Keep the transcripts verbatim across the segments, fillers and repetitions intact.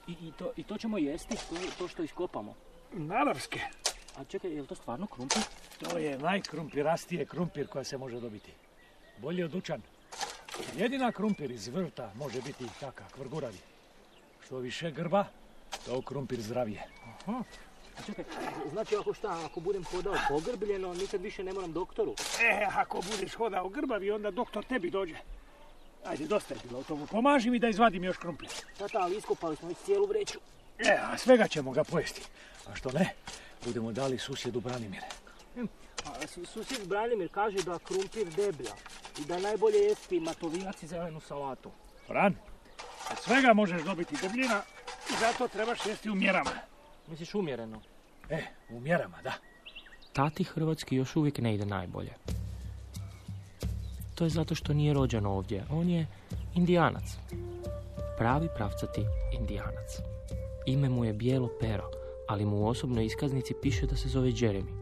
I, i, to, I to ćemo jesti, to, to što iskopamo? Naravske. A čekaj, je li to stvarno krumpir? To je najkrumpirastije krumpir koja se može dobiti. Bolje od dućan. Jedina krumpir iz vrta može biti taka, kvrguravi. Što više grba, to krumpir zdravije. Aha. A čekaj, znači ako šta, ako budem hodao pogrbljeno, nikad više ne moram doktoru? E, ako budeš hodao grbavi, onda doktor tebi dođe. Ajde, dosta je bilo o tomu. Pomaži mi da izvadim još krumpir. Tata, ali iskopali smo već cijelu vreću. E, a svega ćemo ga pojesti. A što ne, budemo dali susjedu Branimire. A susjed Branimir kaže da krumpir deblja i da najbolje jesti matovinac i zelenu salatu. Fran, od svega možeš dobiti debljina i zato trebaš jesti u mjerama. Misliš umjereno? E, u mjerama, da. Tati hrvatski još uvijek ne ide najbolje. To je zato što nije rođen ovdje. On je Indijanac. Pravi pravcati Indijanac. Ime mu je Bijelo pero, ali mu u osobnoj iskaznici piše da se zove Jeremy.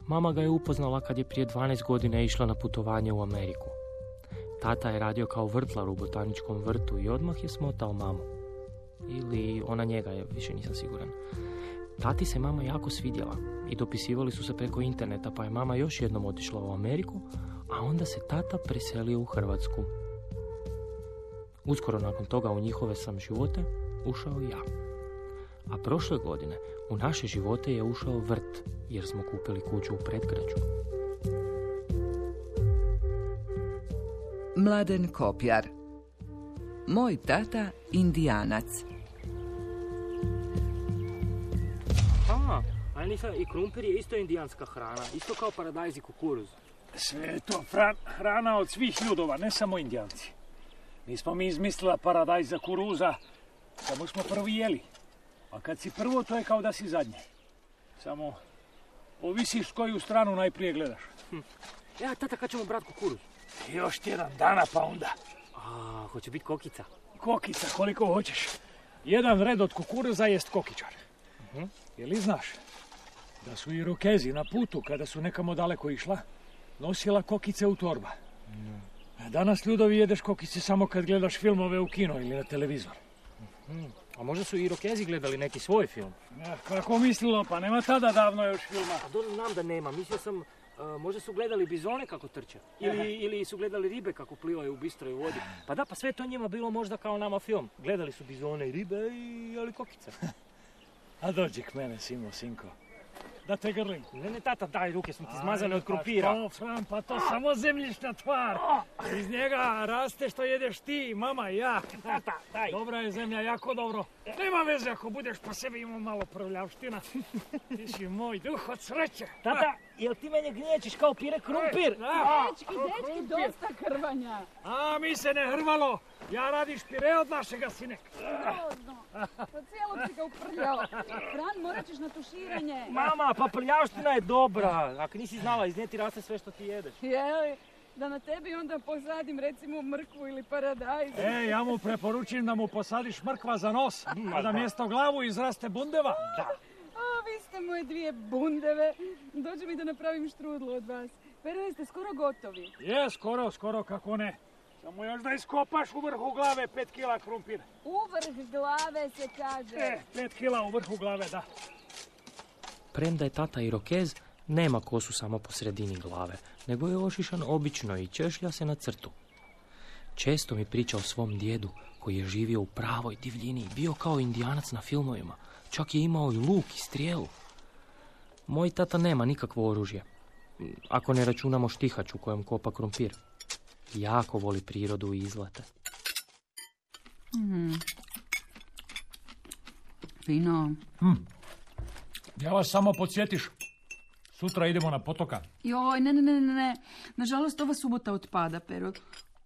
Mama ga je upoznala kad je prije dvanaest godina išla na putovanje u Ameriku. Tata je radio kao vrtlar u botaničkom vrtu i odmah je smotao mamu. Ili ona njega, je, više nisam siguran. Tati se mama jako svidjela i dopisivali su se preko interneta, pa je mama još jednom otišla u Ameriku, a onda se tata preselio u Hrvatsku. Uskoro nakon toga u njihove sam živote ušao ja. A prošle godine u naše živote je ušao vrt, jer smo kupili kuću u predgrađu. Mladen Kopjar. Moj tata Indijanac. A, ali nisam, i krumpir je isto indijanska hrana, isto kao paradajz i kukuruz. Sve je to fran, hrana od svih ljudova, ne samo Indijanci. Nismo mi izmislila paradajz za kuruza, samo smo prvi jeli. A kad si prvo, to je kao da si zadnji. Samo ovisiš koju stranu najprije gledaš. Hm. Ja, tata, kad ćemo brat kukuruz? Još tjedan dana pa onda. A, hoće biti kokica? Kokica, koliko hoćeš. Jedan red od kukuruza jest kokičar. Uh-huh. Je li znaš da su Irokezi na putu, kada su nekamo daleko išla, nosila kokice u torba? Uh-huh. Danas, ljudovi, jedeš kokice samo kad gledaš filmove u kino ili na televizor. Uh-huh. A možda su Irokezi gledali neki svoj film? Ja, kako mislilo, pa nema tada davno još filma. A dobro, znam da nema, mislio sam... Uh, možda su gledali bizone kako trče. Ili, ili su gledali ribe kako plivaju u bistroj vodi. Pa da, pa sve to njima bilo možda kao nama film. Gledali su bizone i ribe i jeli kokice. A dođi k mene, Simo, sinko. Da te grlim. Ne, ne, tata, daj, ruke su ti zmazane od krumpira. Pa što, Fran, pa to samo zemljišna tvar. Iz njega raste što jedeš ti, mama i ja. Tata, daj. Dobra je zemlja, jako dobro. Nema veze ako budeš po sebi imao malo prljavština. Ti si moj duh od sreće. Tata, jel ti mene gnječiš kao pire krumpir? Dečki, dečki, dosta hrvanja. A, mi se ne hrvalo. Ja radiš pire od našega sinek. Rodno, pa cijelog si ga uprljao. Fran, morat ćeš na tuširanje. Mama, pa prljavština je dobra. Ako nisi znala, iz nje ti raste sve što ti jedeš. Jeli, da na tebi onda posadim recimo mrkvu ili paradajz. E, ja mu preporučujem da mu posadiš mrkva za nos, a da mjesto glavu izraste bundeva. Da. A, vi ste moje dvije bundeve. Dođe mi da napravim štrudlu od vas. Pero, ste skoro gotovi. Je, skoro, skoro, kako ne. Samo još da iskopaš u vrhu glave pet kila krumpira. U vrh glave se kaže. E, pet kila u vrhu glave, da. Premda je tata Irokez, nema kosu samo po sredini glave, nego je ošišan obično i češlja se na crtu. Često mi priča o svom djedu, koji je živio u pravoj divljini i bio kao Indijanac na filmovima. Čak je imao i luk i strijelu. Moj tata nema nikakvo oružje, ako ne računamo štihač u kojem kopa krumpir. Jako voli prirodu i izlete. Mm. Fino. Hmm. Ja vas samo podsjetiš. Sutra idemo na potoka. Joj, ne, ne, ne, ne. Nažalost, ova subota otpada, Pero.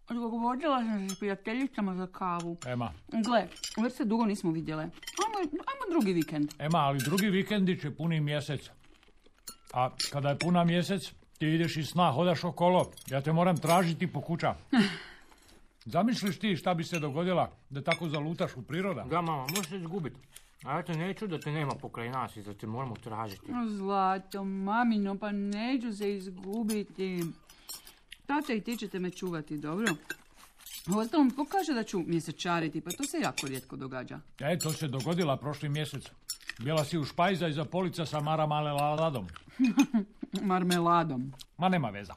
Odgovorila sam se s prijateljicama za kavu. Ema. Gle, već se dugo nismo vidjele. Ajmo, ajmo drugi vikend. Ema, ali drugi vikendić je puni mjesec. A kada je puna mjesec, ti ideš iz sna, hodaš okolo. Ja te moram tražiti po kuća. Zamisliš ti šta bi se dogodila da tako zalutaš u priroda? Da, mama, možeš se izgubiti. A ja te neću da te nema pokraj nas i da te moramo tražiti. O, Zlato, mamino, pa neću se izgubiti. Tata i ti ćete me čuvati, dobro? Uostalom, tko kaže da ću mjesečariti? Pa to se jako rijetko događa. E, to se dogodila prošli mjesec. Bila si u špajza iza polica sa marmeladom. Marmeladom. Ma nema veza.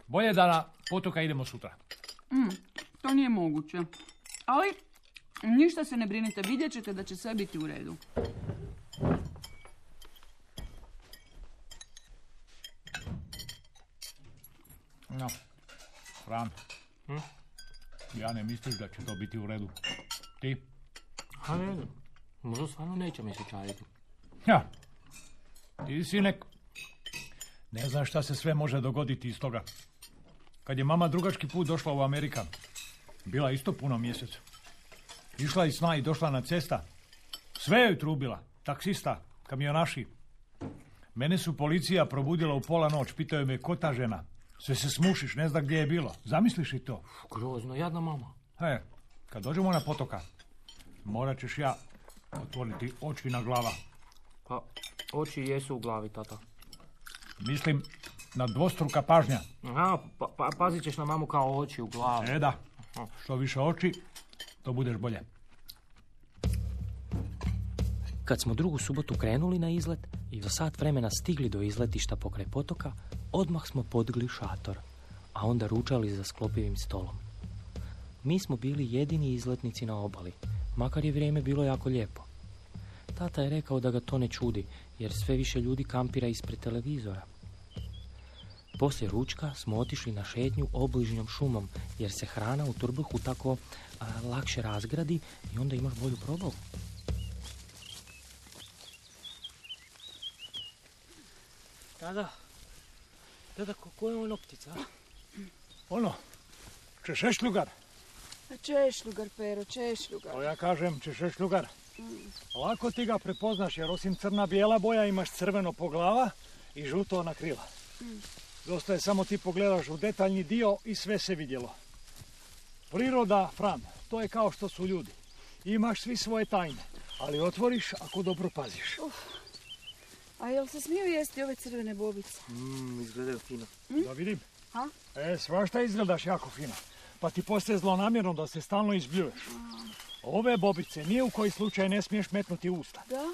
Bolje da na potoka idemo sutra. Mm, to nije moguće. Ali, ništa se ne brinite, vidjet ćete da će sve biti u redu. No, Fran, hm? Ja ne misliš da će to biti u redu. Ti? Ha, ne znam. Možda stvarno neće mjesečariti. Ja, ti si nek... Ne znam šta se sve može dogoditi iz toga. Kad je mama drugački put došla u Amerika, bila isto puno mjesec. Išla iz sna i došla na cesta. Sve joj trubila. Taksista, kamionaši. Mene su policija probudila u pola noć. Pitaju me ko ta žena. Sve se smušiš, ne zna gdje je bilo. Zamisliš i to? Grozno, jadna mama. E, kad dođemo na potoka, morat ćeš ja otvoriti oči na glava. Pa, oči jesu u glavi, tata. Mislim na dvostruka pažnja. Aha, pa, pa, pazit ćeš na mamu kao oči u glavi. E da, što više oči, to budeš bolje. Kad smo drugu subotu krenuli na izlet i za sat vremena stigli do izletišta pokraj potoka, odmah smo podigli šator, a onda ručali za sklopivim stolom. Mi smo bili jedini izletnici na obali, makar je vrijeme bilo jako lijepo. Tata je rekao da ga to ne čudi, jer sve više ljudi kampira ispred televizora. Poslije ručka smo otišli na šetnju obližnjom šumom, jer se hrana u trbuhu tako a, lakše razgradi i onda imaš bolju probavu. Tada, tada, ko je ono ptica? Ono, češešljugar. Češljugar, Pero, češljugar. To ja kažem, češešljugar. Lako ti ga prepoznaš, jer osim crna-bijela boja imaš crveno po glava i žuto na krila. Dosta je samo ti pogledaš u detaljni dio i sve se vidjelo. Priroda, Fran, to je kao što su ljudi. Imaš svi svoje tajne, ali otvoriš ako dobro paziš. Uf. A jel se smiju jesti ove crvene bobice? Mmm, izgledaju fino. Mm? Da vidim. Ha? E, svašta izgledaš jako fino. Pa ti postaje zlonamjerno da se stalno izbljuješ. Ove bobice nije u koji slučaj ne smiješ metnuti u usta. Da?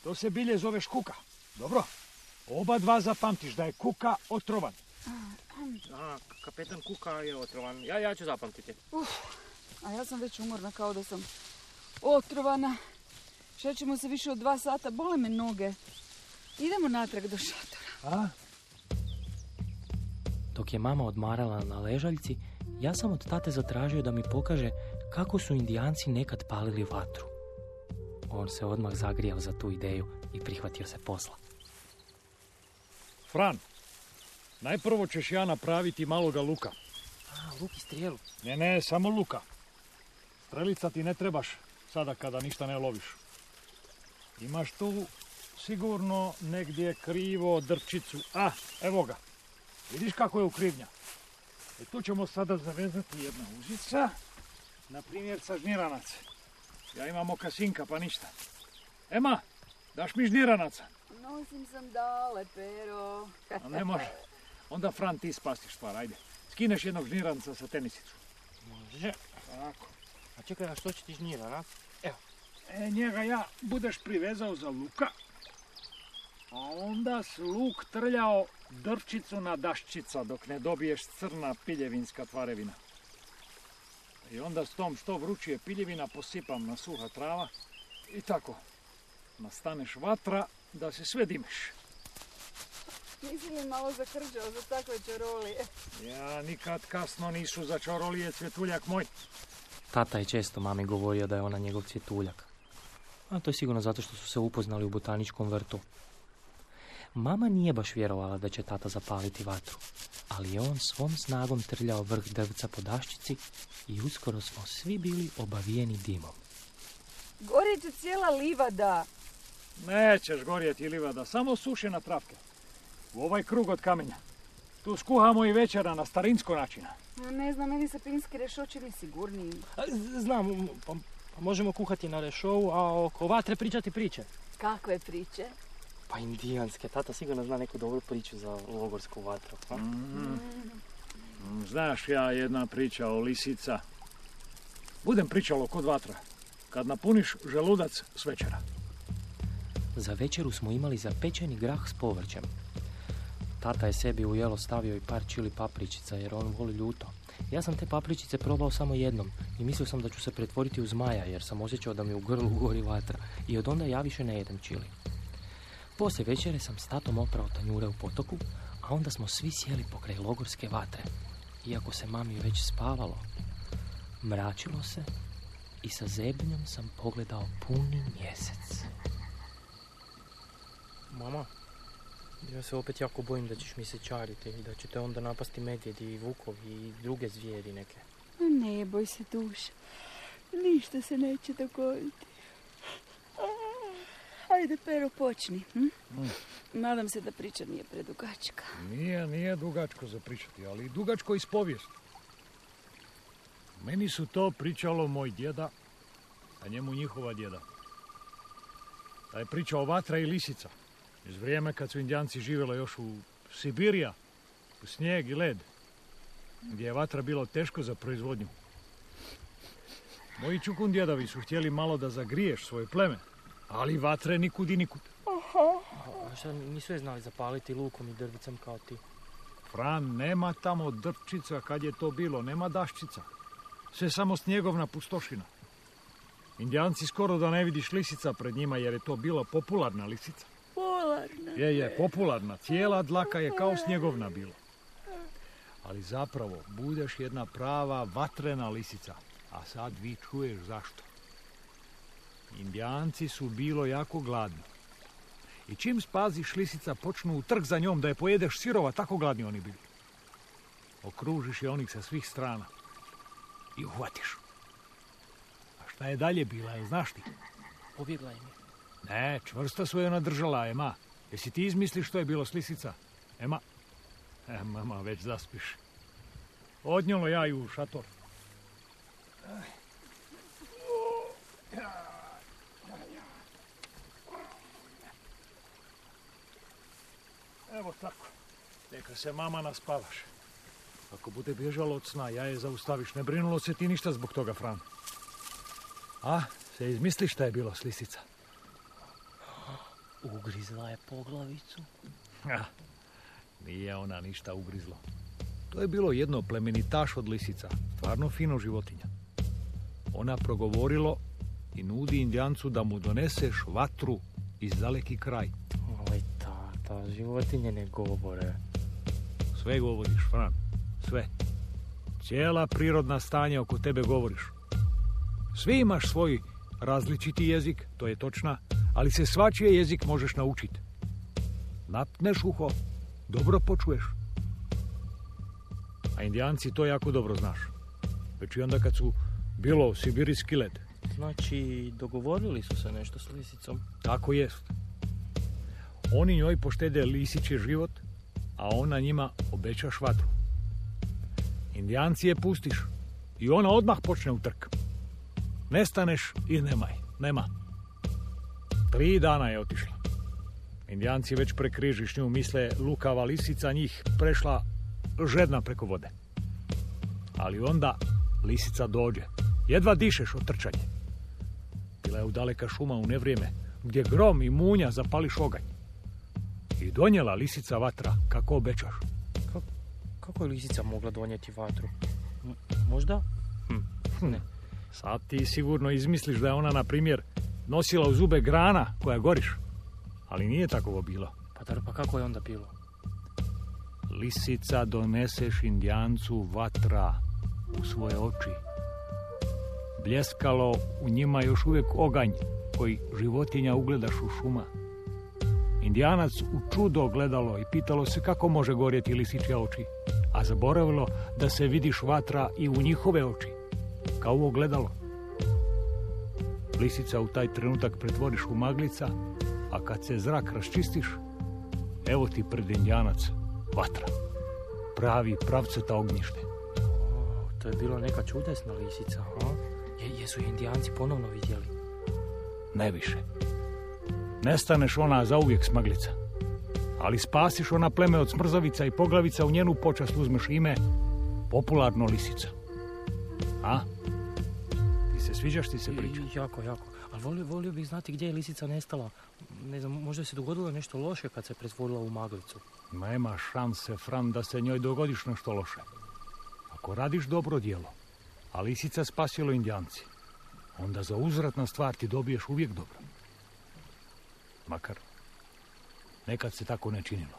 To se bilje zove škuka. Dobro. Oba dva zapamtiš da je kuka otrovan. Aha, kapetan Kuka je otrovan. Ja, ja ću zapamtiti. Uf, a ja sam već umorna kao da sam otrovana. Šećemo se više od dva sata, bole me noge. Idemo natrag do šatora. A? Dok je mama odmarala na ležaljci, ja sam od tate zatražio da mi pokaže kako su Indijanci nekad palili vatru. On se odmah zagrijao za tu ideju i prihvatio se posla. Fran, najprvo ćeš ja napraviti maloga luka. A, luk i strijelu. Ne, ne, samo luka. Strelica ti ne trebaš sada kada ništa ne loviš. Imaš tu sigurno negdje krivo drčicu. A, evo ga. Vidiš kako je ukrivnja? E tu ćemo sada zavezati jedna uzica. Na primjer sa žniranac. Ja imam okasinka pa ništa. Ema, daš mi žniranaca? Nosim sandale, Pero. A ne može. Onda Fran ti spasiš stvar, ajde. Skineš jednog žniranca sa tenisicu. Može. Tako. A čekaj, a što će ti žnjira, a? Evo. E, njega ja budeš privezao za luka. A onda s luk trljao drčicu na daščica dok ne dobiješ crna piljevinska tvarevina. I onda s tom što vrućije piljevina posipam na suha trava i tako. Nastaneš vatra da se sve dimiš. Nisi mi malo zakrđao za takve čarolije. Ja nikad kasno nisu za čarolije, cvjetuljak moj. Tata je često mami govorio da je ona njegov cvjetuljak. A to je sigurno zato što su se upoznali u botaničkom vrtu. Mama nije baš vjerovala da će tata zapaliti vatru, ali je on svom snagom trljao vrh drvca po daščici i uskoro smo svi bili obavijeni dimom. Gorjet će cijela livada. Nećeš gorjeti livada, samo sušena travke. U ovaj krug od kamenja. Tu skuhamo i večera na starinsko načina. Ne znam, meni se pinski rešo čini sigurniji. Znam, pa, pa možemo kuhati na rešovu, a oko vatre pričati priče. Kakve priče? Pa indijanske, tata sigurno zna neku dobru priču za logorsku vatru. Mm. Znaš ja jedna priča o lisica Budem pričalo kod vatra. Kad napuniš želudac s večera. Za večeru smo imali zapečeni grah s povrćem. Tata je sebi u jelo stavio i par čili papričica jer on voli ljuto. Ja sam te papričice probao samo jednom i mislio sam da ću se pretvoriti u zmaja jer sam osjećao da mi u grlu gori vatra i od onda ja više ne jedem čili. Poslije večere sam s tatom oprao tanjure u potoku, a onda smo svi sjeli pokraj logorske vatre. Iako se mami već spavalo, mračilo se i sa zebnjom sam pogledao puni mjesec. Mama, ja se opet jako bojim da ćeš mi se čariti i da će te onda napasti medvjedi i vukovi i druge zvijeri neke. Ne boj se, duša. Ništa se neće dogoditi. Ajde, Pero, počni. Hm? Mm. Nadam se da priča nije predugačka. Nije, nije dugačko za pričati, ali dugačko iz povijesti. Meni su to pričalo moj djeda, a njemu njihova djeda. Da je pričao vatra i lisica. Iz vrijeme kad su Indijanci živjeli još u Sibirija, u snijeg i led, gdje je vatra bilo teško za proizvodnju. Moji čukun djedovi su htjeli malo da zagriješ svoje pleme, ali vatre nikud i nikud. A šta, nisu je znali zapaliti lukom i drvicom kao ti? Fran, nema tamo drčica kad je to bilo, nema daščica. Sve samo snjegovna pustošina. Indijanci skoro da ne vidiš lisica pred njima jer je to bila popularna lisica. Popularna? Je, je, popularna. Cijela dlaka je kao snjegovna bila. Ali zapravo budeš jedna prava vatrena lisica. A sad vi čuješ zašto. Indijanci su bilo jako gladni. I čim spaziš lisica, počnu u trg za njom da je pojedeš sirova, tako gladni oni bili. Okružiš je onih sa svih strana. I uhvatiš. A šta je dalje bila, jel znaš ti? Pobjegla im je. Ne, čvrsto su je ona držala, Ema. Jesi ti izmisliš što je bilo s lisica? Ema? E, mama, već zaspiš. Odnjelo ja ju u šator. Evo tako. Neka se mama naspavaš. Ako bude bježalo od sna, ja je zaustaviš. Ne brinulo se ti ništa zbog toga, Fran. A, se izmisliš šta je bilo s lisica? Ugrizla je poglavicu. Ha, nije ona ništa ugrizlo. To je bilo jedno plemenitaš od lisica. Stvarno fino životinja. Ona progovorilo i nudi Indijancu da mu doneseš vatru iz daleki kraj. Oj, tata, životinje ne govore. Sve govoriš, Fran. Sve. Cijela prirodna stanja oko tebe govoriš. Svi imaš svoj različiti jezik, to je točna, ali se svačije jezik možeš naučiti. Napneš uho, dobro počuješ. A Indijanci to jako dobro znaš. Već i onda kad su bilo sibirijski led. Znači, dogovorili su se nešto s lisicom? Tako jest. Oni njoj poštede lisići život, a ona njima obećaš vatru. Indijanci je pustiš i ona odmah počne u trk. Nestaneš i nemaj, nema. Tri dana je otišla. Indijanci već prekrižiš nju, misle lukava lisica njih prešla žedna preko vode. Ali onda lisica dođe. Jedva dišeš od trčanja. Bila je u daleka šuma u nevrijeme, gdje grom i munja zapališ oganj. I donijela lisica vatra, kako obećaš. Kako, kako je lisica mogla donijeti vatru? M- možda? Hm. Ne. Sad ti sigurno izmisliš da je ona, na primjer, nosila u zube grana koja goriš. Ali nije tako bilo. Pa dar, pa kako je onda bilo? Lisica doneseš Indijancu vatra u svoje oči. Bljeskalo u njima još uvijek oganj koji životinja ugledaš u šuma. Indijanac u čudo gledalo i pitalo se kako može gorjeti lisičje oči, a zaboravilo da se vidiš vatra i u njihove oči, kao u ogledalo. Lisica u taj trenutak pretvoriš u maglica, a kad se zrak raščistiš, evo ti pred Indijanac vatra. Pravi pravceta ognjište. O, to je bilo neka čudesna lisica, ha? Je, jesu je Indijanci ponovno vidjeli? Ne više. Nestaneš ona zauvijek smaglica. Ali spasiš ona pleme od smrzavica i poglavica, u njenu počast uzmeš ime popularno lisica. A? se, sviđaš ti se priča? I- Jako, jako. Ali volio, volio bih znati gdje je lisica nestala. Ne znam, možda se dogodilo nešto loše kad se pretvorila u maglicu. Nema šanse, Fran, da se njoj dogodiš nešto loše. Ako radiš dobro djelo, a lisica spasilo Indijanci, onda za uzvratna stvar ti dobiješ uvijek dobro. Makar nekad se tako ne činilo.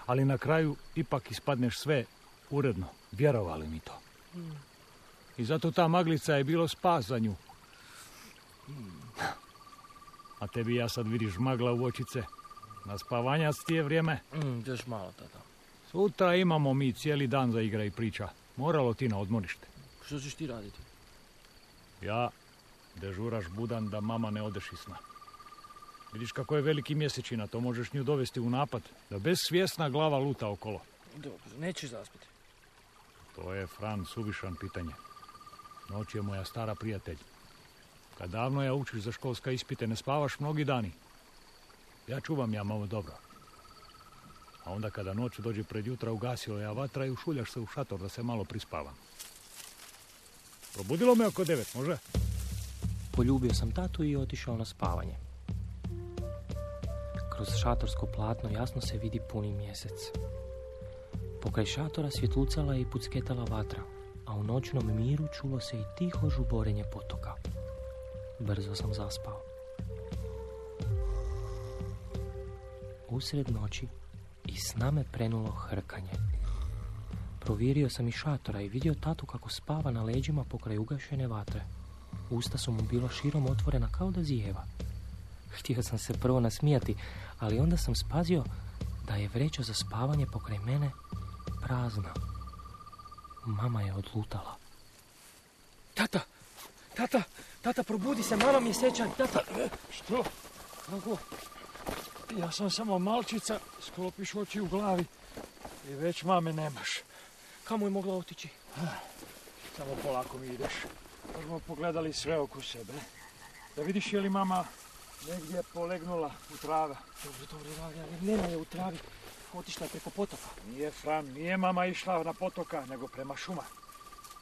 Ali na kraju ipak ispadneš sve uredno, vjerovali mi to. I zato ta maglica je bilo spas za nju. A tebi ja sad vidiš magla u očice. Na spavanjac ti je vrijeme. Mm, još malo, tata. Sutra imamo mi cijeli dan za igra i priča. Moralo ti na odmorište. Što ćeš ti raditi? Ja dežuraš budan da mama ne odeš iz sna. Vidiš kako je veliki mjesečina, to možeš nju dovesti u napad, da bez svjesna glava luta okolo. Dobro, nećeš zaspiti. To je, Fran, suvišan pitanje. Noć je moja stara prijatelj. Kad davno ja učiš za školska ispite, ne spavaš mnogi dani. Ja čuvam ja malo dobro. A onda kada noć dođe pred jutra, ugasila ja vatra i ušuljaš se u šator da se malo prispavam. Probudilo me oko devet, može? Poljubio sam tatu i otišao na spavanje. Kroz šatorsko platno jasno se vidi puni mjesec. Pokraj šatora svjetlucala je i pucketala vatra, a u noćnom miru čulo se i tiho žuborenje potoka. Brzo sam zaspao. Usred noći iz sna me prenulo hrkanje. Provirio sam iz šatora i vidio tatu kako spava na leđima pokraj ugašene vatre. Usta su mu bila širom otvorena kao da zijeva. Htio sam se prvo nasmijati, ali onda sam spazio da je vreća za spavanje pokraj mene prazna. Mama je odlutala. Tata! Tata! Tata, probudi se, mama mi je sjećan. Tata! Što? Kako? Ja sam samo malčica, sklopiš oči u glavi i već mame nemaš. Kamo je mogla otići? Samo polako mi ideš. Pa smo pogledali sve oko sebe. Da vidiš je li mama negdje polegnula u trava. Dobro, dobro, dobro, nema je u travi. Otišla je preko potoka. Nije, Fran, nije mama išla na potoka, nego prema šuma.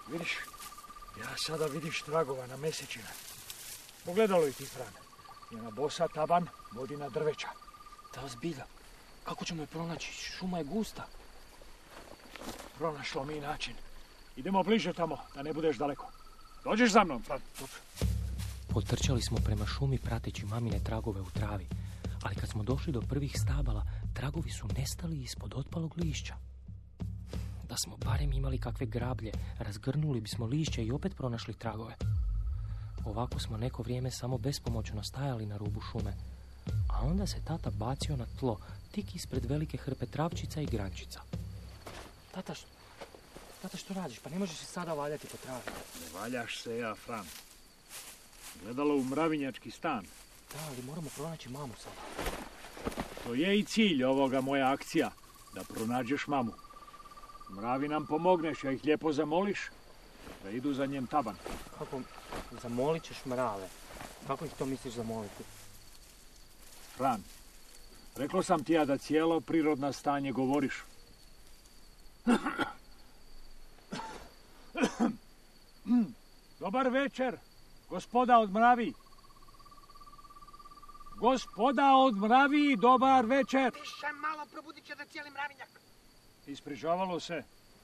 Vidiš, ja sada vidiš tragova na mesečina. Pogledalo i ti, Fran. Njena bosa taban vodi na drveća. Da, zbilja. Kako ćemo je pronaći? Šuma je gusta. Pronašlo mi način. Idemo bliže tamo, da ne budeš daleko. Dođeš za mnom, Fran. Dobro. Potrčali smo prema šumi prateći mamine tragove u travi, ali kad smo došli do prvih stabala, tragovi su nestali ispod otpalog lišća. Da smo barem imali kakve grablje, razgrnuli bismo lišće i opet pronašli tragove. Ovako smo neko vrijeme samo bespomoćno stajali na rubu šume, a onda se tata bacio na tlo, tik ispred velike hrpe travčica i grančica. Tata, što, tata, što radiš? Pa ne možeš se sada valjati po travi. Ne valjaš se ja, Fran. Gledalo u mravinjački stan. Da, ali moramo pronaći mamu sada. To je i cilj ovoga moja akcija, da pronađeš mamu. Mravi nam pomogneš, ja ih lijepo zamoliš da idu za njem taban. Kako zamolit ćeš mrave? Kako ih to misliš zamoliti? Fran, rekao sam ti ja da cijelo prirodno stanje govoriš. Dobar večer, gospoda od mravi. Gospoda od mravi, dobar večer. Tiše malo, probudit će da cijeli mravinjak. Isprižavalo se.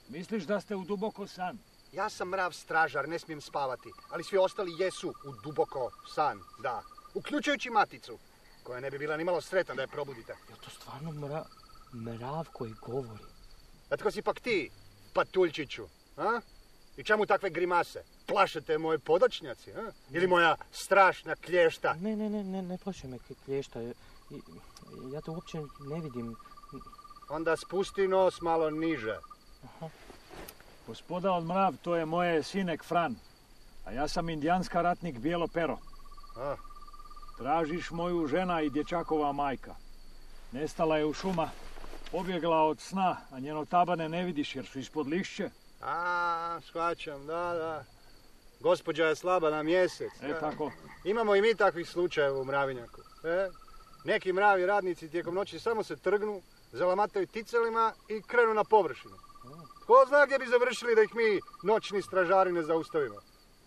Misliš da ste u duboko san? Ja sam mrav stražar, ne smijem spavati, ali svi ostali jesu u duboko san, da. Uključujući maticu, koja ne bi bila ni malo sretna da je probudite. Je to stvarno mra... mrav koji govori? A tko si pak ti, patuljčiću, a? I čemu takve grimase? Plašete moje podočnjaci, a? Ili moja strašna klješta? Ne, ne, ne, ne, ne plaši me klješta. Ja te uopće ne vidim. Onda spusti nos malo niže. Aha. Gospoda od mrav, to je moje sinek Fran. A ja sam indijanska ratnik Bijelo pero. A? Tražiš moju žena i dječakova majka. Nestala je u šuma, pobjegla od sna, a njeno tabane ne vidiš jer su ispod lišće. A, shvaćam, da, da. Gospođa je slaba na mjesec. E, tako. Imamo i mi takvih slučajeva u mravinjaku. E? Neki mravi radnici tijekom noći samo se trgnu, zalamataju ticelima i krenu na površinu. Tko zna gdje bi završili da ih mi noćni stražari ne zaustavimo?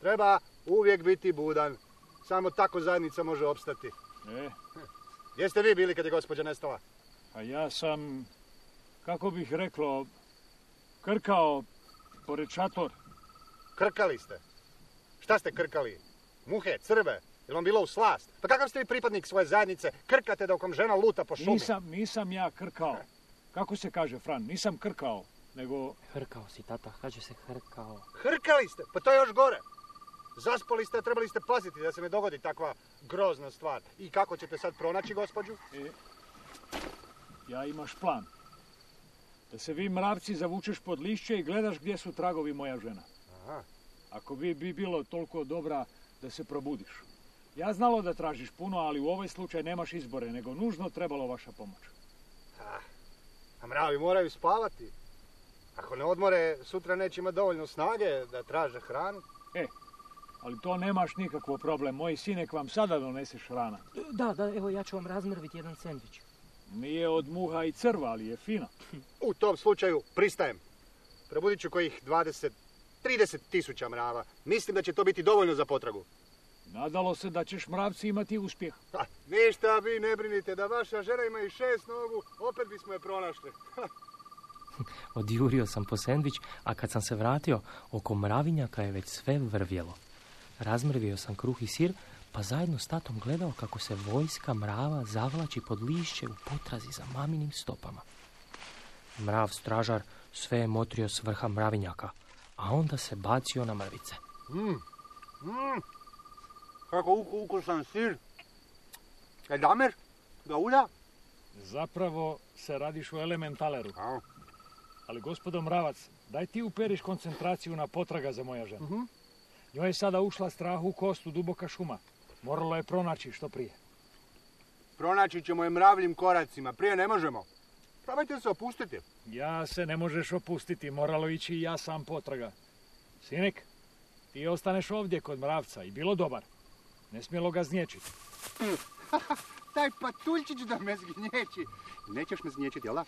Treba uvijek biti budan. Samo tako zajednica može opstati. E, Gdje ste vi bili kad je gospođa nestala? a ja sam, kako bih reklo, krkao pored šator. Krkali ste. Šta ste krkali? Muhe, crve? Je vam bilo u slast? Pa kakav ste vi pripadnik svoje zajednice? Krkate dok vam žena luta po šumi. Nisam, nisam ja krkao. Kako se kaže, Fran? Nisam krkao, nego... Hrkao si, tata, kaže se hrkao. Hrkali ste? Pa to je još gore. Zaspali ste, a trebali ste paziti da se ne dogodi takva grozna stvar. I kako ćete sad pronaći gospođu? E, ja imaš plan. Da se vi mravci zavučeš pod lišće i gledaš gdje su tragovi moja žena. Aha. Ako bi, bi bilo toliko dobra da se probudiš. Ja znalo da tražiš puno, ali u ovaj slučaj nemaš izbore, nego nužno trebalo vaša pomoć. Ah, a mravi moraju spavati. Ako ne odmore, sutra neće imati dovoljno snage da traže hranu. E, ali to nemaš nikakvo problem. Moj sinek vam sada doneseš hrana. Da, da, evo ja ću vam razmrviti jedan sendvič. Nije od muha i crva, ali je fina. U tom slučaju pristajem. Probudit ću kojih dvadeset, trideset tisuća mrava. Mislim da će to biti dovoljno za potragu. Nadalo se da ćeš mravci imati uspjeh. Ha, ništa vi ne brinite, da vaša žena ima i šest nogu, opet bismo je pronašli. Odjurio sam po sendvič, a kad sam se vratio, oko mravinjaka je već sve vrvjelo. Razmrvio sam kruh i sir, pa zajedno s tatom gledao kako se vojska mrava zavlači pod lišće u potrazi za maminim stopama. Mrav stražar sve je motrio s vrha mravinjaka, a onda se bacio na mrvice. Mm. Mm. Kako ukusan sir. E damer, ga ulja? Zapravo se radiš u elementaleru. A. Ali gospodo mravac, daj ti uperiš koncentraciju na potraga za moja žena. Uh-huh. Njoj je sada ušla strah u kostu duboka šuma. Moralo je pronaći što prije. Pronaći ćemo je mravljim koracima, prije ne možemo. Probajte se opustiti. Ja se ne možeš opustiti, moralo ići i ja sam potraga. Sinek, ti ostaneš ovdje kod mravca i bilo dobar. Ne smjelo ga znječiti. Taj patuljčić da me zgnječi. Nećeš me znječiti, jel da?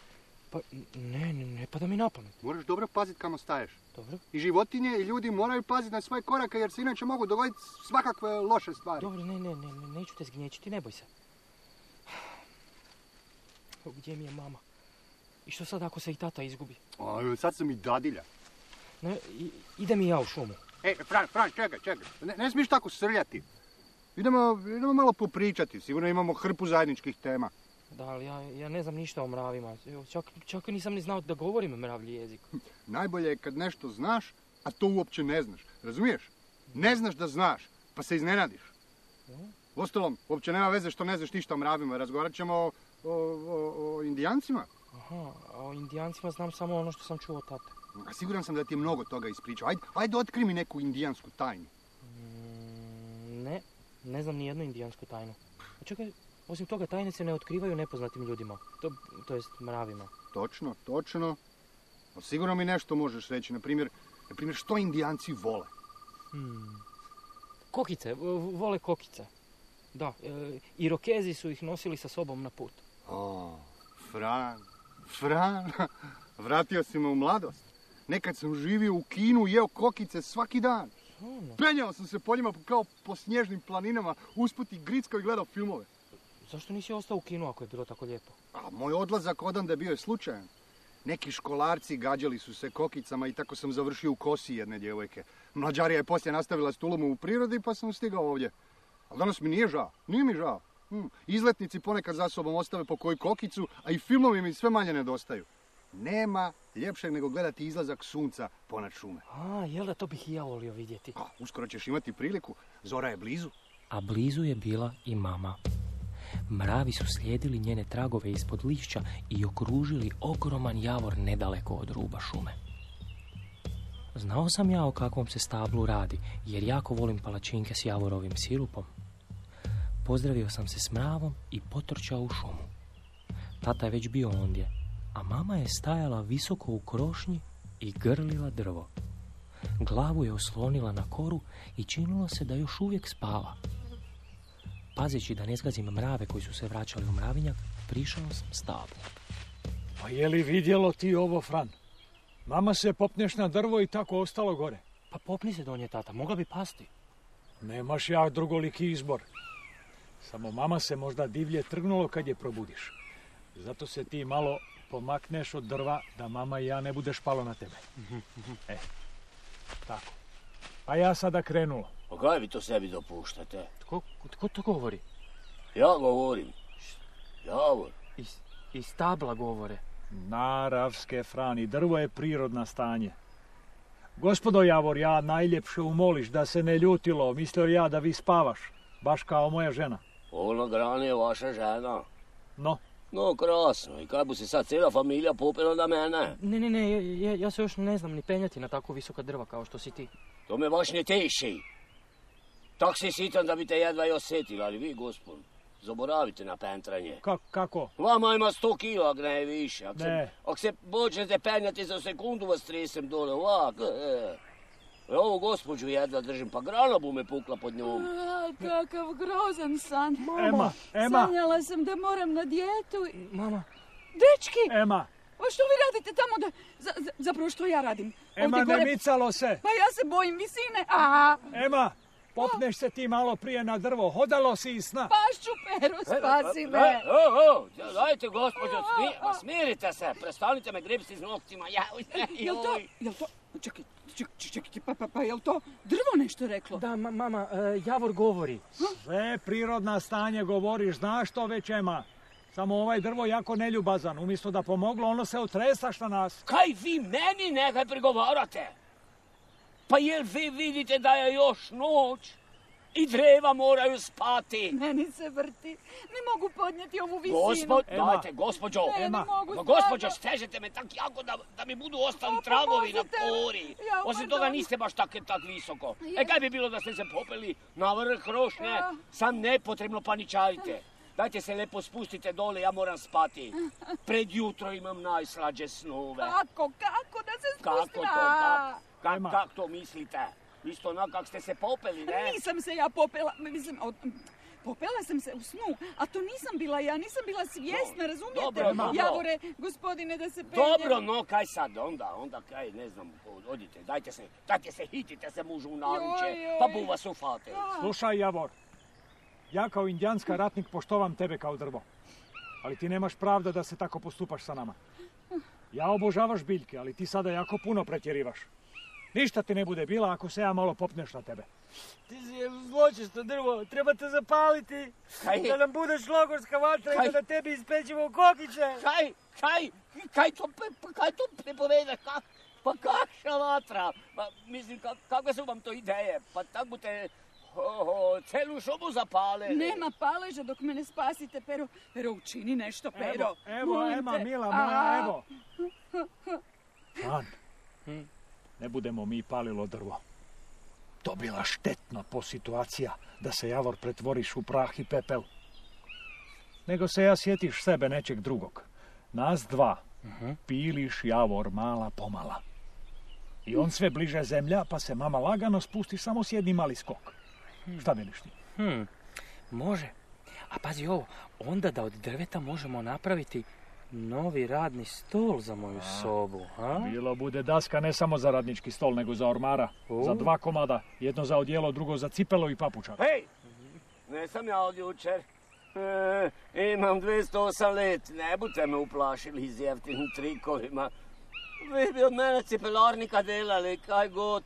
Pa ne, ne, ne pada mi na pamet. Moraš dobro paziti kamo staješ. Dobro, I životinje i ljudi moraju paziti na svoje korake jer se inače mogu dogoditi svakakve loše stvari. dobro, ne, ne, ne, ne, neću te zgnječiti, ne boj se. O, gdje mi je mama? I što sad ako se i tata izgubi? O, sad sam i dadilja. Ne, i, idem i ja u šumu. E, Fran, Fran, čekaj, čekaj. Ne, ne smiješ tako srljati. Idemo, idemo malo popričati. Sigurno imamo hrpu zajedničkih tema. Da, ali ja, ja ne znam ništa o mravima. Evo, čak, čak nisam ni znao da govorim mravlji jezik. Najbolje je kad nešto znaš, a to uopće ne znaš. Razumiješ? Ne znaš da znaš, pa se iznenadiš. Uostalom, uopće nema veze što ne znaš ništa o mravima. Razgovarat ćemo o, o, o, o indijancima. Aha, a o indijancima znam samo ono što sam čuo od tate. A siguran sam da ti je mnogo toga ispričao. Ajde, ajde otkri mi neku indijansku tajnu. Mm, ne, ne znam ni jednu indijansku tajnu. A čekaj, osim toga tajne se ne otkrivaju nepoznatim ljudima. To, to jest mravima. Točno, točno. No, sigurno mi nešto možeš reći. Na primjer, na primjer što indijanci vole? Hmm. Kokice, v- vole kokice. Da, e, Irokezi su ih nosili sa sobom na put. O, Fran, Fran, vratio si me u mladost. Nekad sam živio u Kinu i jeo kokice svaki dan. Ono. Penjao sam se po njima kao po snježnim planinama, usput i grickao i gledao filmove. Zašto nisi ostao u Kinu ako je bilo tako lijepo? A moj odlazak odande bio je slučajan. Neki školarci gađali su se kokicama i tako sam završio u kosi jedne djevojke. Mlađarija je poslije nastavila s tulom u prirodi pa sam stigao ovdje. Ali danas mi nije žao, nije mi žao. Hmm. Izletnici ponekad za sobom ostave po koju kokicu, a i filmovi mi sve manje nedostaju. Nema ljepšeg nego gledati izlazak sunca ponad šume. A, jel da, to bih i ja volio vidjeti. A, uskoro ćeš imati priliku, zora je blizu. A blizu je bila i mama. Mravi su slijedili njene tragove ispod lišća i okružili ogroman javor nedaleko od ruba šume. Znao sam ja o kakvom se stablu radi, jer jako volim palačinke s javorovim sirupom. Pozdravio sam se s mravom i potrčao u šumu. Tata je već bio ondje, a mama je stajala visoko u krošnji i grlila drvo. Glavu je oslonila na koru i činilo se da još uvijek spava. Pazeći da ne zgazim mrave koji su se vraćali u mravinjak, prišao sam stablu. Pa je li vidjelo ti ovo, Fran? Mama se popneš na drvo i tako ostalo gore. Pa popni se donje, tata, mogla bi pasti. Nemaš ja drugoliki izbor. Samo mama se možda divlje trgnulo kad je probudiš. Zato se ti malo pomakneš od drva da mama i ja ne budeš palo na tebe. E, tako. Pa ja sada krenuo. Pa kaj vi to sebi dopuštate? Tko, tko to govori? Ja govorim. Javor. Iz, iz tabla govore. Naravske, Frani, drvo je prirodna stanje. Gospodo Javor, ja najljepše umoliš da se ne ljutilo. Mislio ja da vi spavaš, baš kao moja žena. Ona grana je vaša žena. No? No, krasno. I kaj bo se sad cijela familija popela na mene? Ne, ne, ne, ja, ja se još ne znam ni penjati na tako visoka drva kao što si ti. To me baš ne teši. Tak si sitan da bi te jedva i osjetili, ali vi, gospod, zaboravite na pentranje. Ka, kako? Vama ima sto kila, ak ne više. Ak ne. Se, ak se počnete penjati za sekundu, vas tresem dole, ovak. E. Ovo gospođu jedva držim, pa grana bu me pukla pod njom. A, kakav grozan san. Ema, Ema. Sanjala sam da moram na dijetu. Mama. Dečki! Ema. Pa što vi radite tamo da... Za, za, zapravo što ja radim? Ema, Ovdje ne gore... micalo se. Pa ja se bojim visine. Aha. Ema, popneš se ti malo prije na drvo. Hodalo si iz sna. Pašću, Pero, spasi me. E, o, o, dajte, gospođo, smi, smirite se. Prestanite me gripsti s noktima. Ja, jel to... Jel to... Čekaj, čekaj, čekaj, pa, pa, pa, jel to drvo nešto reklo? Da, ma, mama, uh, Javor govori. Sve prirodna stanje govoriš, znaš to već, Ema. Samo ovaj drvo jako neljubazan. Umjesto da pomoglo, ono se otresaš na nas. Kaj vi meni nekaj prigovarate? Pa jel vi vidite da je još noć? I dreva moraju spati. Meni se vrti. Ne mogu podnijeti ovu visinu. Gospod, dajte, gospođo. Ne, ne mogu. No, gospođo, stežete me tak jako da, da mi budu ostali O, tragovi na pomozite. kori. Ja, Osim pardon. toga niste baš tak, tak visoko. Je. E kaj bi bilo da ste se popeli na vrh rošnje? Ja. Sam nepotrebno paničarite. Dajte se lepo spustite dole, ja moram spati. Pred jutro imam najslađe snove. Kako, kako da se Kako spustim? to, kak, kak, Ema. kak to mislite? Isto onako kak ste se popeli, ne? Nisam se ja popela, mislim, od, popela sam se u snu, a to nisam bila ja, nisam bila svjesna, razumijete? dobro, dobro. Javore, gospodine, da se penje. Dobro, no kaj sad, onda, onda kaj, ne znam, odite, dajte se, dajte se, hitite se mužu u naruče, Joj, joj. pa bu vas ufate. Slušaj, Javor. Ja kao indijanska ratnik poštovam tebe kao drvo. Ali ti nemaš pravda da se tako postupaš sa nama. Ja obožavaš biljke, ali ti sada jako puno pretjerivaš. Ništa ti ne bude bila ako se ja malo popneš na tebe. Ti si zločesto drvo, treba te zapaliti. Kaj? Da nam budeš logorska vatra Kaj? i da tebi ispećemo kokiće. Kaj, kaj, kaj to, pa kaj to prepoveda, kak, pa kakša vatra? Pa, mislim, kak, kakve su vam to ideje? Pa tak bute oh, celu šumu zapale. Nema paleža dok me ne spasite, Pero. Pero, učini nešto, Pero. Evo, evo, Molim Ema, te. mila A, moja, evo. Fran, ne budemo mi palilo drvo. To bila štetna po situacija da se Javor pretvoriš u prah i pepel. Nego se ja sjetiš sebe nečeg drugog. Nas dva piliš Javor mala pomala. I on sve bliže zemlja, pa se mama lagano spusti samo s jednim mali skok. Šta veliš ti? Hmm, može. A pazi ovo, onda da od drveta možemo napraviti novi radni stol za moju sobu, a? Bilo bude daska ne samo za radnički stol, nego za ormara. O. Za dva komada. Jedno za odijelo, drugo za cipelo i papučak. Hej, ne sam ja od jučer. E, imam dvjesto osam let, ne budete me uplašili s jeftinim trikovima. Vi bi od mene cipelarnika delali, kaj god.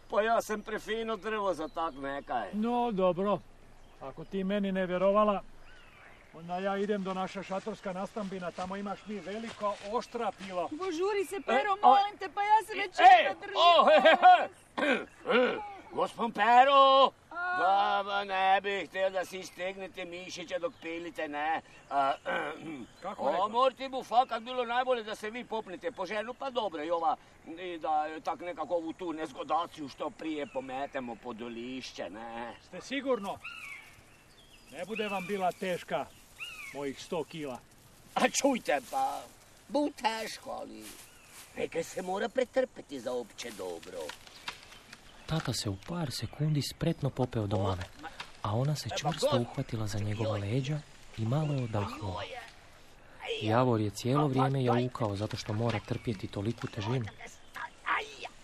Pa ja sam prefino drvo za tak nekaj. No, dobro. Ako ti meni ne vjerovala, onda ja idem do naša šatorska nastambina. Tamo imaš mi veliko oštra pila. Požuri se, Pero, E, o- molim te, pa ja se već Ej, jedva držim. o, he, he, he. Gospon Pero, ba, ba, ne bih htio da si stegnete mišiće dok pilite, ne. A, Kako o, rekao? morti bu fakat bilo najbolje da se vi popnete po ženu, pa dobro i ova, i da tak nekako ovu tu nezgodaciju što prije pometemo pod lišće, ne. Ste sigurno? Ne bude vam bila teška mojih sto kila. A čujte pa, bu teško, ali nekaj se mora pretrpeti za opće dobro. Tata se u par sekundi spretno popeo do mame, a ona se čvrsto uhvatila za njegova leđa i malo je odahnula. Javor je cijelo vrijeme jaukao zato što mora trpjeti toliku težinu.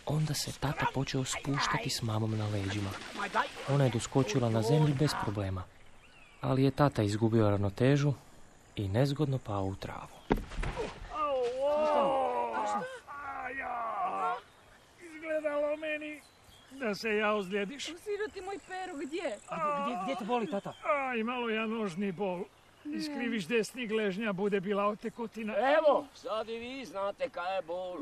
Onda se tata počeo spuštati s mamom na leđima. Ona je doskočila na zemlju bez problema, ali je tata izgubio ravnotežu i nezgodno pao u travu. Izgledalo meni da se ja ozlijediš. Siroti moj Pero, gdje? Gdje, gdje te boli, tata? Aj, malo ja nožni bol. Iskriviš desni gležnja, bude bila otekotina. Evo, sad i vi znate kaj je bol.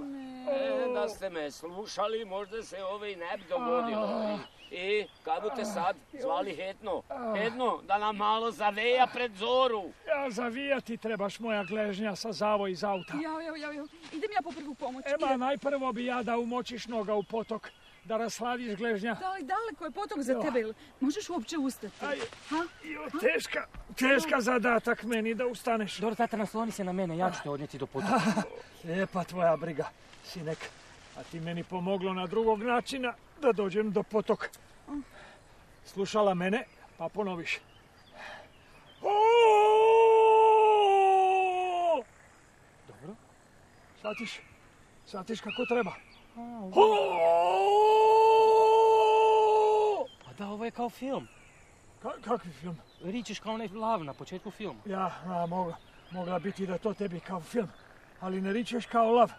E, da ste me slušali, možda se ovo i ne bi dogodilo. I, i kad budete sad zvali Hetno? Hetno, da nam malo zaveja pred zoru. Ja, zavijati trebaš moja gležnja sa zavoj iz auta. Jao, jao, jao, jao. Idem ja po prvu pomoć. Ema, najprvo bi ja da umočiš noga u potok, da rasladiš gležnja. Da li daleko je potok za tebe? Možeš uopće ustati? Aj, ha? Jo, teška, teška zadatak meni da ustaneš. Dobro, tata, nasloni se na mene, ja ću te odnijeti do potoka. Lijepa tvoja briga, sinek. A ti meni pomoglo na drugog načina da dođem do potoka. Slušala mene, pa ponoviš. Dobro. Shvatiš? Shvatiš kako treba? Pa da, ovo je kao film. Ka- kakvi film? Ričeš kao onaj lav na početku filma. Ja, a, mogla, mogla biti da to tebi kao film. Ali ne ričeš kao lav,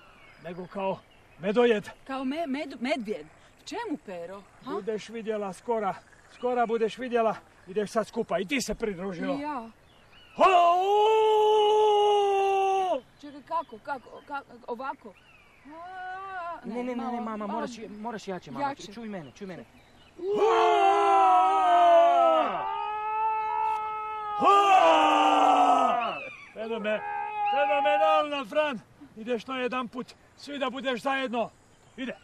nego kao medojed. Kao me, med, medvjed. Čemu, Pero? Ha? Budeš vidjela skora. Skora budeš vidjela. Ideš sad skupa i ti se pridružila. I ja. Čekaj, kako, kako, kako, ovako? A, Ne, ne, ne, ne, malo, mama, a, moraš, moraš jače, mama. Jače. Čuj mene, čuj mene. Fenomen, fenomenalna, Fran. Ideš na jedan put. Svi da budeš zajedno. Ide.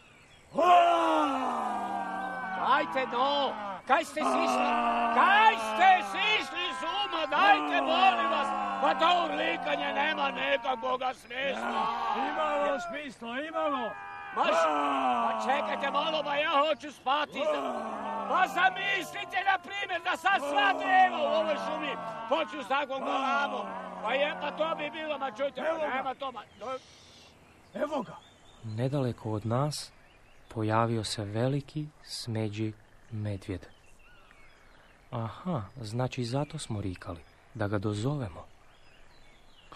Dajte no, kaj ste sišli? Kaj ste sišli s uma? Dajte, molim vas. Pa to urlikanje nema nekakvoga smisla. Imalo smisla, imalo. Maš, pa čekajte malo, ba ja hoću spati. Pa zamislite, na primjer, da sad sva dreva u ovoj šumi počnu s takvom galamom. Pa je, pa to bi bilo, ma čujte, pa nema to, ma... Evo ga. Nedaleko od nas pojavio se veliki smeđi medvjed. Aha, znači zato smo rikali, da ga dozovemo.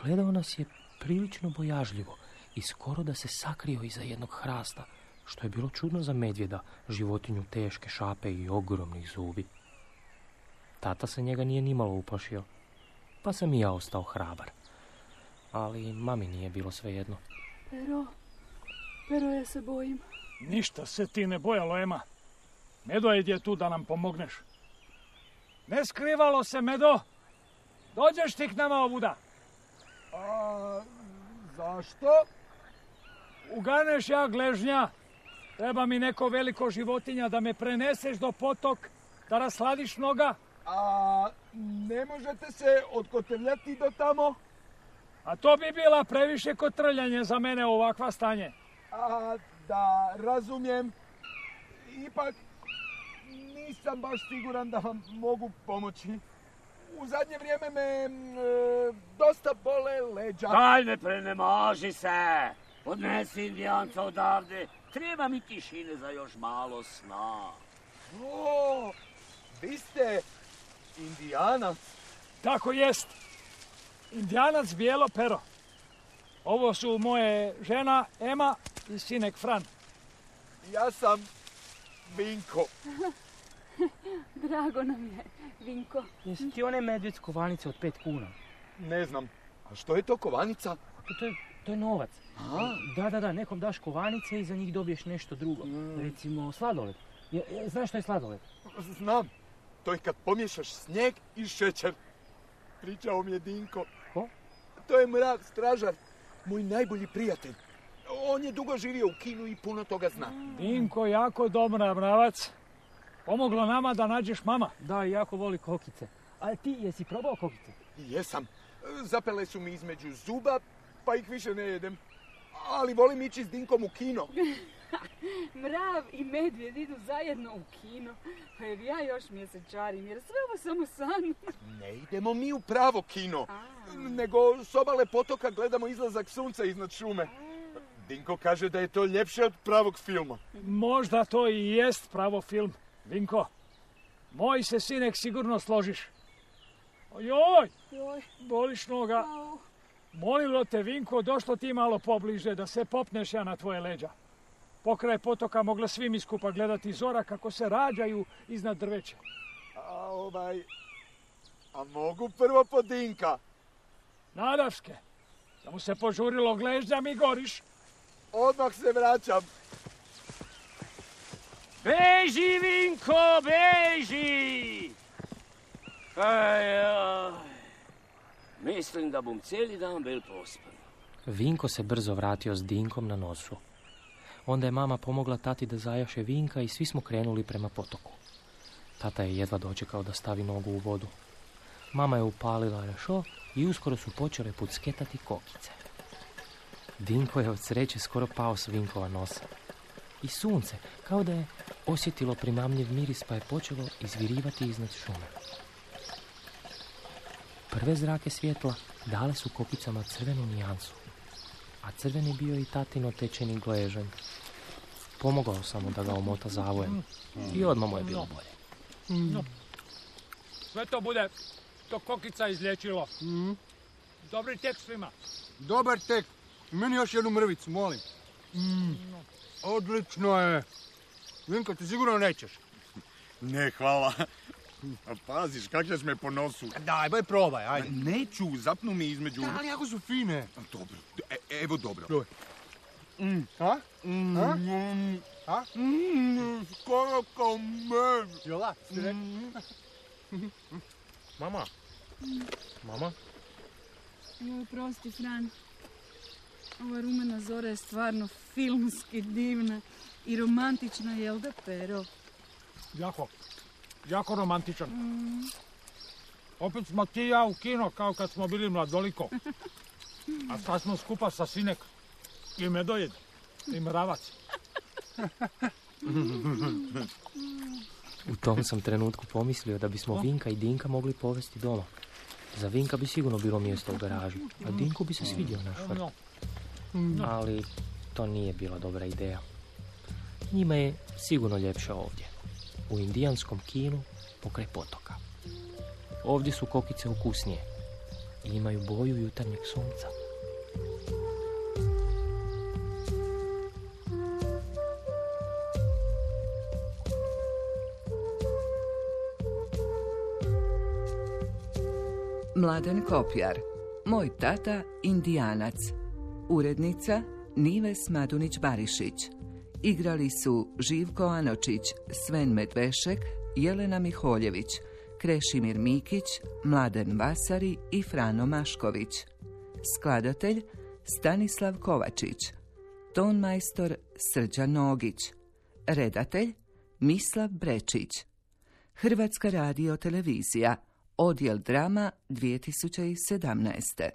Gledao nas je prilično bojažljivo i skoro da se sakrio iza jednog hrasta, što je bilo čudno za medvjeda, životinju teške šape i ogromnih zubi. Tata se njega nije nimalo uplašio, pa sam i ja ostao hrabar. Ali mami nije bilo svejedno. Pero, Pero, ja se bojim. Ništa se ti ne bojalo, Ema. Medojed je tu da nam pomogneš. Ne skrivalo se, Medo. Dođeš ti k nama ovuda. A, zašto? Uganeš ja gležnja. Treba mi neko veliko životinja da me preneseš do potok, da rasladiš noga. A ne možete se odkotrljati do tamo? A to bi bila previše kotrljanje za mene u ovakva stanje. A, da razumijem. Ipak nisam baš siguran da vam mogu pomoći. U zadnje vrijeme me e, dosta bole leđa. Daj, ne prenemaži se. Odnesi indijanca odavde. Treba mi tišine za još malo sna. O, vi ste indijanac. Tako jest. Indijanac Bijelo Pero. Ovo su moje žena Ema i sinek Fran. Ja sam Vinko. Drago nam je, Vinko. Jesi ti onaj medvjed s kovanice od pet kuna? Ne znam. A što je to kovanica? To, to, je, to je novac. A? Da, da, da, nekom daš kovanice i za njih dobiješ nešto drugo. Mm. Recimo sladoled. Je, je, znaš što je sladoled? Znam. To je kad pomiješaš snijeg i šećer. Pričao mi je Dinko. Ko? To je Mrak stražar, moj najbolji prijatelj. On je dugo živio u Kinu i puno toga zna. Dinko, jako dobra, mravac. Pomoglo nama da nađeš mama. Da, jako voli kokice. A ti jesi probao kokice? Jesam. Zapele su mi između zuba, pa ih više ne jedem. Ali volim ići s Dinkom u kino. Mrav i medvjed idu zajedno u kino. Pa jer ja još mjesečarim, jer sve ovo samo san. Ne idemo mi u pravo kino. A. Nego s obale potoka gledamo izlazak sunca iznad šume. Dinko kaže da je to ljepše od pravog filma. Možda to i jest pravo film, Vinko. Moj se sinek sigurno složiš. Ojoj, boliš noga. Molilo te, Vinko, došlo ti malo pobliže da se popneš ja na tvoje leđa. Pokraj potoka mogla svi mi skupa gledati zora kako se rađaju iznad drveća. A ovaj... A mogu prvo po Dinka? Nadaške, da mu se požurilo gležnja mi goriš. Odmah se vraćam. Beži, Vinko, beži! Aj, aj. Mislim da bom cijeli dan bil pospan. Vinko se brzo vratio s Dinkom na nosu. Onda je mama pomogla tati da zajaše Vinka i svi smo krenuli prema potoku. Tata je jedva dočekao da stavi nogu u vodu. Mama je upalila rešo i uskoro su počele pucketati kokice. Dinko je od sreće skoro pao s Vinkova nosa. I sunce, kao da je osjetilo primamljiv miris, pa je počelo izvirivati iznad šume. Prve zrake svjetla dale su kokicama crvenu nijansu, a crveni bio i tatino tečeni gležanj. Pomogao sam mu da ga omota zavojem i odmah mu je bilo bolje. No. Sve to bude to kokica izlječilo. Mm. Dobri tek svima. Dobar tek. Meni još jednu mrvicu, molim. Mm. Odlično je. Vinko, ti sigurno nećeš. Ne, hvala. A paziš, kak ćeš me po nosu? Daj, baj probaj, ajde. Neću, zapnu mi između... Da, ali jako su fine. Dobro, e, evo dobro. Dobro. Mm. A? Mm. A? Mm. A? Mm. Skoro kao med. Jola, si rekao? Mm. Mama? Mama? Joj, prosti, Fran. Ova rumena zora je stvarno filmski divna i romantična, jel da, Pero? Jako, jako romantičan. Mm. Opet smo ti i ja u kino kao kad smo bili mladoliko. A sad smo skupa sa sinek i medojed i mravac. U tom sam trenutku pomislio da bismo Vinka i Dinka mogli povesti doma. Za Vinka bi sigurno bilo mjesto u garaži, a Dinku bi se svidio naš vrt. Ali to nije bila dobra ideja. Njima je sigurno ljepše ovdje, u indijanskom kinu pokraj potoka. Ovdje su kokice ukusnije i imaju boju jutarnjeg sunca. Mladen Kopjar, Moj tata Indijanac. Urednica Nives Madunić-Barišić. Igrali su Živko Anočić, Sven Medvešek, Jelena Miholjević, Krešimir Mikić, Mladen Vasari i Frano Mašković. Skladatelj Stanislav Kovačić. Tonmajstor Srđan Nogić. Redatelj Mislav Brečić. Hrvatska radio televizija, Odjel drama dvije tisuće sedamnaeste.